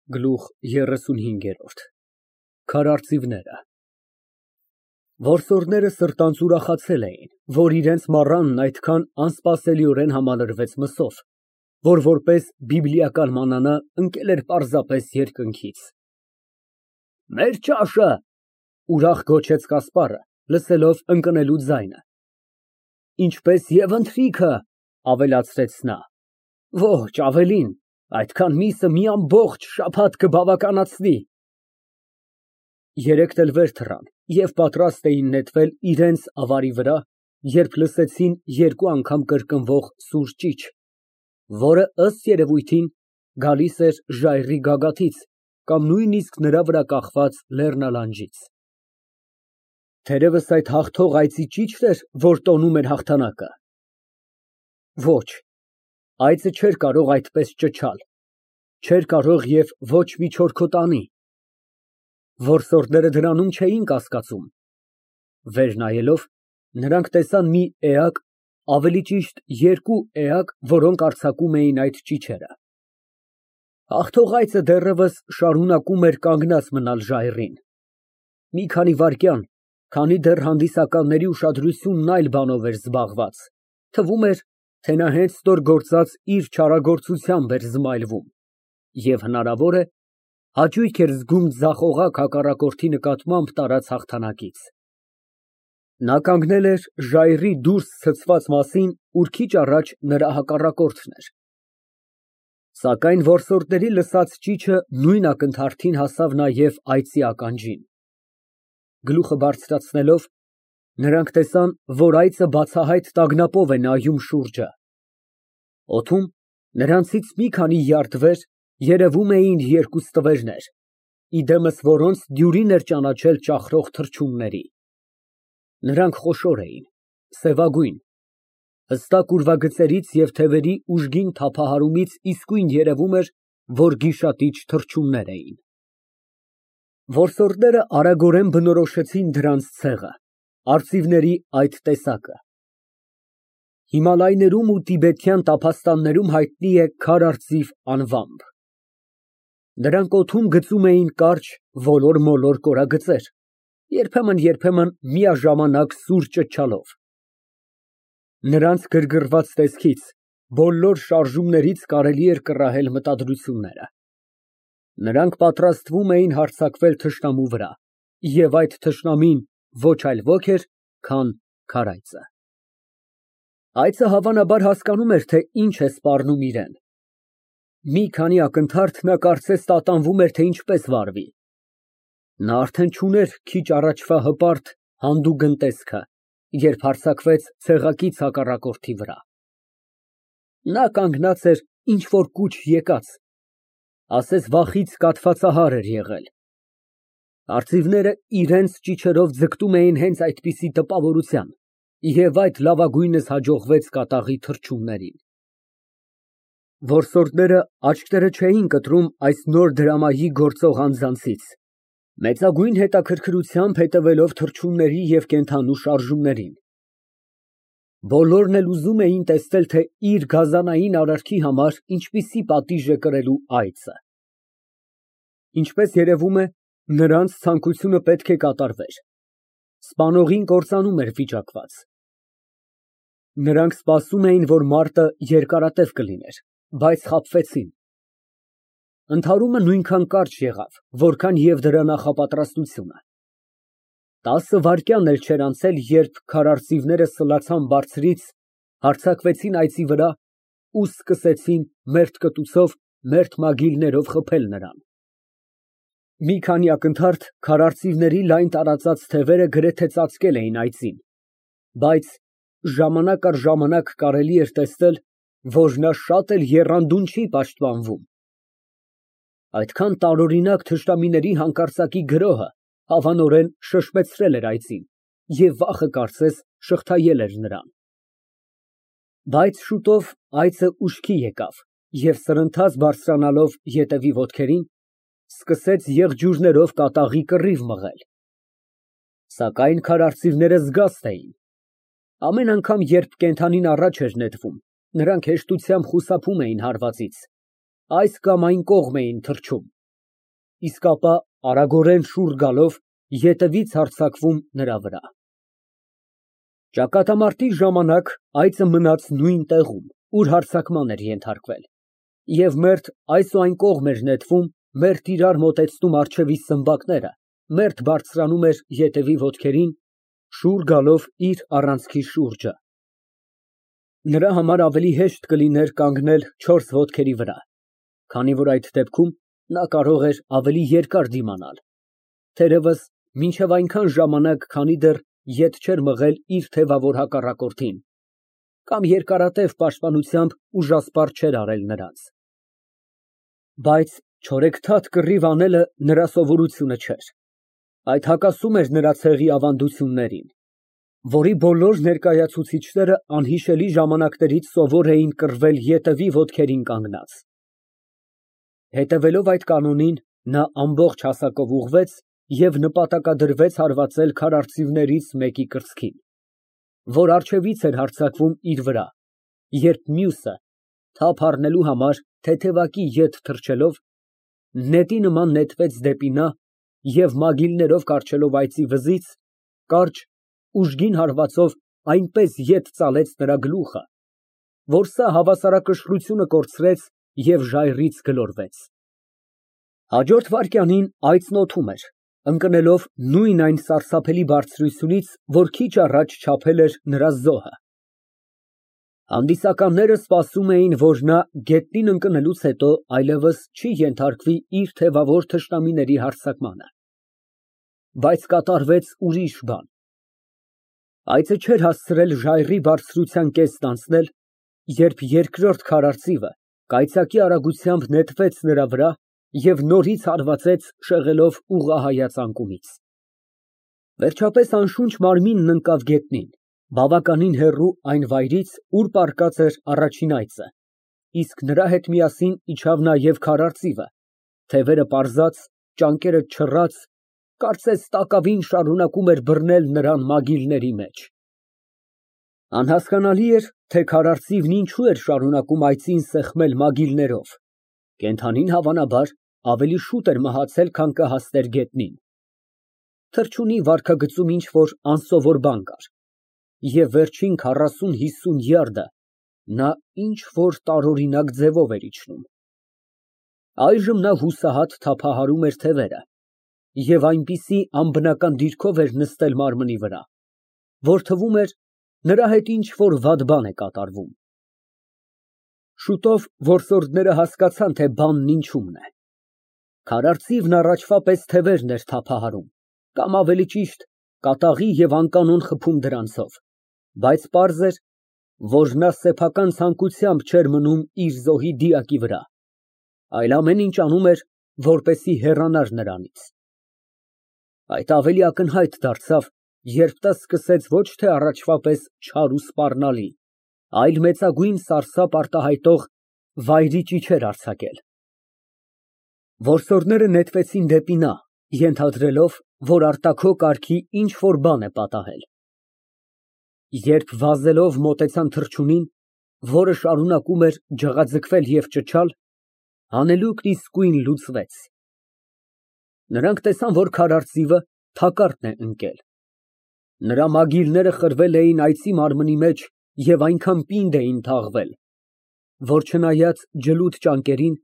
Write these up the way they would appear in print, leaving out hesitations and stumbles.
Գլուխ 35 Քարարծիվները Որսորդները սրտանց ուրախացել էին, որ իրենց մառանն այդքան անսպասելիորեն համալրվեց մսով, որ որպես բիբլիական մանանա ընկել էր պարզապես երկնքից։ Մեր ճաշը, ուրախ գոչեց Կասպարը, լսելով ընկնելու ձայնը։ Ինչպես և ընթրիքը, ավելացրեց նա։ Ոչ, ավելին, այդքան միսը մի ամբողջ շաբաթ կբավականացնի։ Երեքն էլ վեր թռան և պատրաստ էին նետվել իրենց ավարի վրա, երբ լսեցին երկու անգամ կրկնվող սուր ճիչ, որը, ըստ երևույթին, գալիս էր ժայռի գագաթից կամ նույնիսկ նրա վրա կախված լեռնալանջից։ Թերևս այդ հաղթող այծի ճիչն էր, որ տոնում էր հաղթանակը։ Ոչ, այծը չէր կարող այդպես ճչալ, չէր կարող և ոչ մի չորքոտանի։ Որսորդները դրանում չէին կասկածում։ Վեր նայելով, նրանք տեսան մի էակ, ավելի ճիշտ երկու էակ, որոնք արձակում էին այդ ճիչերը։ Հաղթող այծը դեռևս շարունակում էր կանգնած մնալ ժայռին։ Մի քանի վայրկյան, քանի դեռ հանդիսականների ուշադրությունն այլ բանով էր զբաղված, թվում էր, թե նա հենց նոր գործած իր չարագործությամբ էր զմայլվում և, հնարավոր է, հաճույք էր զգում ձախողակ հակառակորդի նկատմամբ տարած հաղթանակից։ Նա կանգնել էր ժայռի դուրս ցցված մասին, ուր քիչ առաջ նրա հակառակորդն էր։ Սակայն որսորդների լսած ճիչը նույն ակնթարթին հասավ նաև այծի ականջին։ Գլուխը բարձրացնելով, նրանք տեսան, որ այծը բացահայտ տագնապով է նայում շուրջը։ Օդում, նրանցից մի քանի յարդ վեր, երևում էին երկու ստվերներ, ի դեմս որոնց դյուրին էր ճանաչել ճախրող թռչունների։ Նրանք խոշոր էին, սևագույն, հստակ ուրվագծերից և թևերի ուժգին թափահարումից իսկույն երևում էր, որ գիշատիչ թռչուններ էին։ Որսորդները արագորեն բնորոշեցին դրանց ցեղը, արծիվների այդ տեսակը։ Հիմալայներում ու տիբեթյան տափաստաններում հայտնի է քարարծիվ անվամբ։ Նրանք օդում գծում էին կարճ ոլոր֊մոլոր կորագծեր, երբեմն միաժամանակ սուր ճչալով։ Նրանց գրգռված տեսքից, բոլոր շարժումներից կարելի էր կռահել մտադրությունները։ Նրանք պատրաստվում էին հարձակվել թշնամու վրա, և այդ թշնամին ոչ այլ ոք էր, քան քարայծը։ Այծը հավանաբար հասկանում էր, թե ինչ է սպառնում իրան։ Մի քանի ակնթարթ նա կարծես տատանվում էր, թե ինչպես վարվի։ Նա արդեն չուներ քիչ առաջվա հպարտ, հանդուգն տեսքը, երբ հարձակվեց ցեղակից հակառակորդի վրա։ Նա կանգնած էր ինչ֊որ կուչ եկած, ասես վախից կաթվածահար էր եղել։ Արծիվները իրենց ճիչերով ձգտում էին հենց այդպիսի տպավորության, և այդ լավագույնս հաջողվեց կատաղի թռչուններին։ Որսորդները աչքները չէին կտրում այս նոր դրամայի գործող անձանցից, մեծագույն հետաքրքրությամբ հետևելով թռչունների և կենդանու շարժումներին։ Բոլորն էլ ուզում էին տեսնել, թե իր գազանային արարքի համար ինչպիսի պատիժ է կրելու այծը։ Ինչպես երևում է, նրանց ցանկությունը պետք է կատարվեր։ Սպանողին կործանում էր վիճակված։ Նրանք սպասում էին, որ մարտը երկարատև կլիներ, բայց խաբվեցին։ Ընդհարումը նույնքան կարճ եղավ, որքան և դրա նախապատրաստությունը։ 10 վայրկյան էլ չէր անցել, երբ քարարծիվները սլացան բարձրից, հարձակվեցին այծի վրա ու սկսեցին մերթ կտուցով, մերթ մագիլներով խփել նրան։ Մի քանի ակնթարթ քարարծիվների լայն տարածած թևերը գրեթե ծածկել էին այծին, բայց ժամանակ առ ժամանակ կարելի էր տեսնել, որ նա շատ էլ եռանդուն չի պաշտպանվում։ Այդքան տարօրինակ թշնամիների հանկարծակի գրոհը հավանորեն շշմեցրել էր այծին և վախը, կարծես, շղթայել էր նրան։ Բայց շուտով այծը ուշքի եկավ և սրընթաց բարձրանալով ետևի ոտքերին, սկսեց եղջյուրներով կատաղի կռիվ մղել։ Սակայն քարարծիվները զգաստ էին։ Ամեն անգամ, երբ կենդանին առաջ էր նետվում, նրանք հեշտությամբ խուսափում էին հարվածից, այս կամ այն կողմ էին թռչում, իսկ ապա արագորեն շուռ գալով ետևից հարձակվում նրա վրա։ Ճակատամարտի ժամանակ այծը մնաց նույն տեղում, ուր հարձակման էր ենթարկվել, և մերթ այս ու այն կողմ էր նետվում, մերթ իրար մոտեցնում առջևի սմբակները, մերթ բարձրանում էր ետևի ոտքերին, շուռ գալով իր առանցքի շուրջը։ Նրա համար ավելի հեշտ կլիներ կանգնել չորս ոտքերի վրա, քանի որ այդ դեպքում նա կարող էր ավելի երկար դիմանալ, թերևս մինչև այնքան ժամանակ, քանի դեռ ետ չէր մղել իր թևավոր հակառակորդին, կամ երկարատև պաշտպանությամբ ուժասպառ չէր արել նրանց։ Բայց չորեքթաթ կռիվ անելը նրա սովորությունը չէր, այդ հակասում էր նրա ցեղի ավանդություններին, որի բոլոր ներկայացուցիչները անհիշելի ժամանակներից սովոր էին կռվել ետևի ոտքերին կանգնած։ Հետևելով այդ կանոնին, նա ամբողջ հասակով ուղղվեց և նպատակադրվեց հարվածել քարարծիվներից մեկի կրծքին, որ առջևից էր հարձակվում իր վրա, երբ մյուսը, թափ առնելու համար թեթևակի ետ թռչելով, նետի նման նետվեց դեպի նա և մագիլներով կառչելով այծի վզից, կարճ, ուժգին հարվածով այնպես ետ ծալեց նրա գլուխը, որ սա հավասարակշռությունը կորցրեց և ժայռից գլորվեց։ Հաջորդ վայրկյանին այծն օդում էր, ընկնելով նույն այն սարսափելի բարձրությունից, որ քիչ առաջ չափել էր նրա զոհը։ Հանդիսականները սպասում էին, որ նա գետնին ընկնելուց հետո այլևս չի ենթարկվի իր թևավոր թշնամիների հարձակմանը։ Բայց կատարվեց ուրիշ բան։ Այծը չէր հասցրել ժայռի բարձրության կեսն անցնել, երբ երկրորդ քարարծիվը կայծակի արագությամբ նետվեց նրա վրա և նորից հարվածեց, շեղելով ուղղահայաց անկումից։ Վերջապես անշունչ մարմինն ընկավ գետնին, բավականին հեռու այն վայրից, ուր պառկած էր առաջին այծը, իսկ նրա հետ միասին իջավ նաև քարարծիվը, թևերը պարզած, ճանկերը չռած, կարծես տակավին շարունակում էր բռնել նրան մագիլների մեջ։ Անհասկանալի էր, թե քարարծիվն ինչու էր շարունակում այծին սեղմել մագիլներով, կենդանին հավանաբար ավելի շուտ էր մահացել, քան կհասներ գետնին։ Թռչունի վարքագծում ինչ֊որ անսովոր բան կար, և վերջին 40-50 յարդը նա ինչ֊որ տարօրինակ ձևով էր իջնում։ Այժմ նա հուսահատ թափահարում էր թևերը և այնպիսի անբնական դիրքով էր նստել մարմնի վրա, որ թվում էր նրա հետ ինչ֊որ վատ բան է կատարվում։ Շուտով որսորդները հասկացան, թե բանն ինչումն է։ Քարարծիվն առաջվա պես թևերն էր թափահարում, կամ ավելի ճիշտ, կատաղի և անկանոն խփում դրանցով, բայց պարզ էր, որ նա սեփական ցանկությամբ չէր մնում իր զոհի դիակի վրա, այլ ամեն ինչ անում էր, որպեսզի հեռանար նրանից։ Այդ ավելի ակնհայտ դարձավ, երբ նա սկսեց ոչ թե առաջվա պես չար ու սպառնալի, այլ մեծագույն սարսափ արտահայտող վայրի ճիչեր արձակել։ Որսորդները նետվեցին դեպի նա, ենթադրելով, որ արտաքո կարգի ինչ֊որ բան է պատահել։ Երբ վազելով մոտեցան թռչունին, որը շարունակում էր ջղաձգվել և ճչալ, հանելուկն իսկույն լուծվեց։ Նրանք տեսան, որ քարարծիվը թակարդն է ընկել։ Նրա մագիլները խրվել էին այծի մարմնի մեջ և այնքան պինդ էին թաղվել, որ չնայած ջլուդ ճանկերին,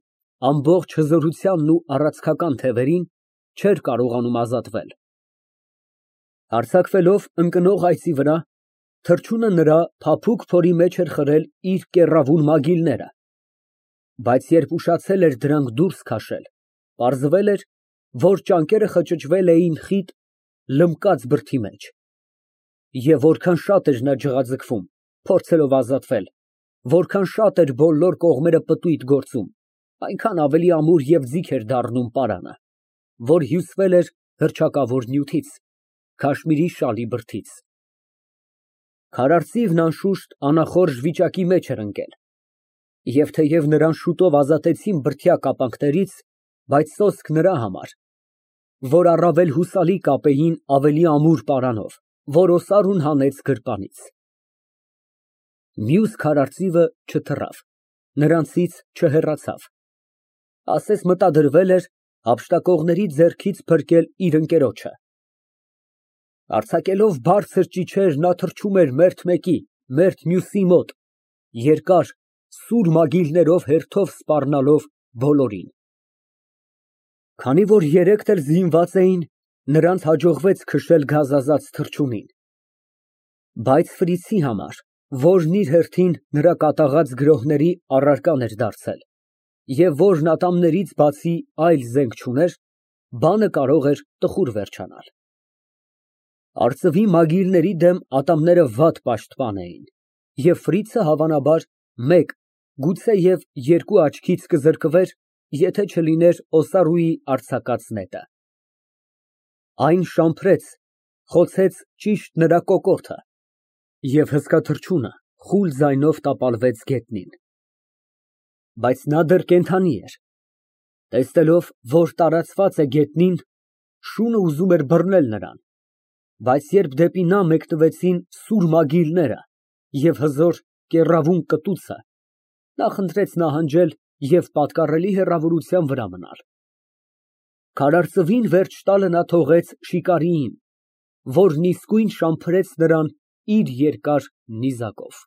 ամբողջ հզորությանն ու առաձգական թևերին, չէր կարողանում ազատվել։ Հարձակվելով ընկնող այծի վրա, թռչունը նրա փափուկ փորի մեջ էր խրել իր կեռավուն մագիլները, բայց երբ ուշացել էր դրանք դուրս քաշել, պարզվել էր, որ ճանկերը խճճվել էին խիտ, լմկած բրդի մեջ, և որքան շատ էր նա ջղաձգվում, փորձելով ազատվել, որքան շատ էր բոլոր կողմերը պտույտ գործում, այնքան ավելի ամուր և ձիգ էր դառնում պարանը, որ հյուսվել էր հռչակավոր նյութից, քաշմիրի շալի բրդից։ Քարարծիվն անշուշտ անախորժ վիճակի մեջ էր ընկել, և թեև նրան շուտով ազատեցին բրդյա կապանքներից, բայց սոսկ նրա համար, որ առավել հուսալի կապեին ավելի ամուր պարանով, որ օսարուն հանեց գրպանից։ Մյուս քարարծիվը չթռավ, նրանցից չհեռացավ, ասես մտադրվել էր, Հափշտակողների ձեռքից փրկել իր ընկերոջը։ Արձակելով բարձր ճիչեր, նա թռչում էր մերթ մեկի, մերթ մյուսի մոտ, երկար, սուր մագիլներով հերթով սպառնալով բոլորին։ Քանի որ երեքն էլ զինված էին, նրանց հաջողվեց քշել գազազած թռչունին։ Բայց Ֆրիցի համար, որն իր հերթին նրա կատաղած գրոհների առարկան էր դարձել, և որն ատամներից բացի այլ զենք չուներ, բանը կարող էր տխուր վերջանալ։ Արծվի մագիլների դեմ ատամները վատ պաշտպան էին, և Ֆրիցը հավանաբար մեկ, գուցեև երկու աչքից կզրկվեր, եթե չլիներ Օսարուի արձակած նետը։ Այն շամփրեց, խոցեց ճիշտ նրա կոկորդը, և հսկա թռչունը խուլ ձայնով տապալվեց գետնին։ Բայց նա դեռ կենդանի էր։ Տեսնելով, որ տարածված է գետնին, շունը ուզում էր բռնել նրան, բայց երբ դեպի նա մեկնվեցին սուր մագիլները և հզոր կեռավուն կտուցը, նա խնդրեց նահանջել և պատկառելի հեռավորության վրա մնալ։ Քարայրծվին վերջ տալը նա թողեց շիկարիին, որն իսկույն շամփրեց նրան իր երկար նիզակով։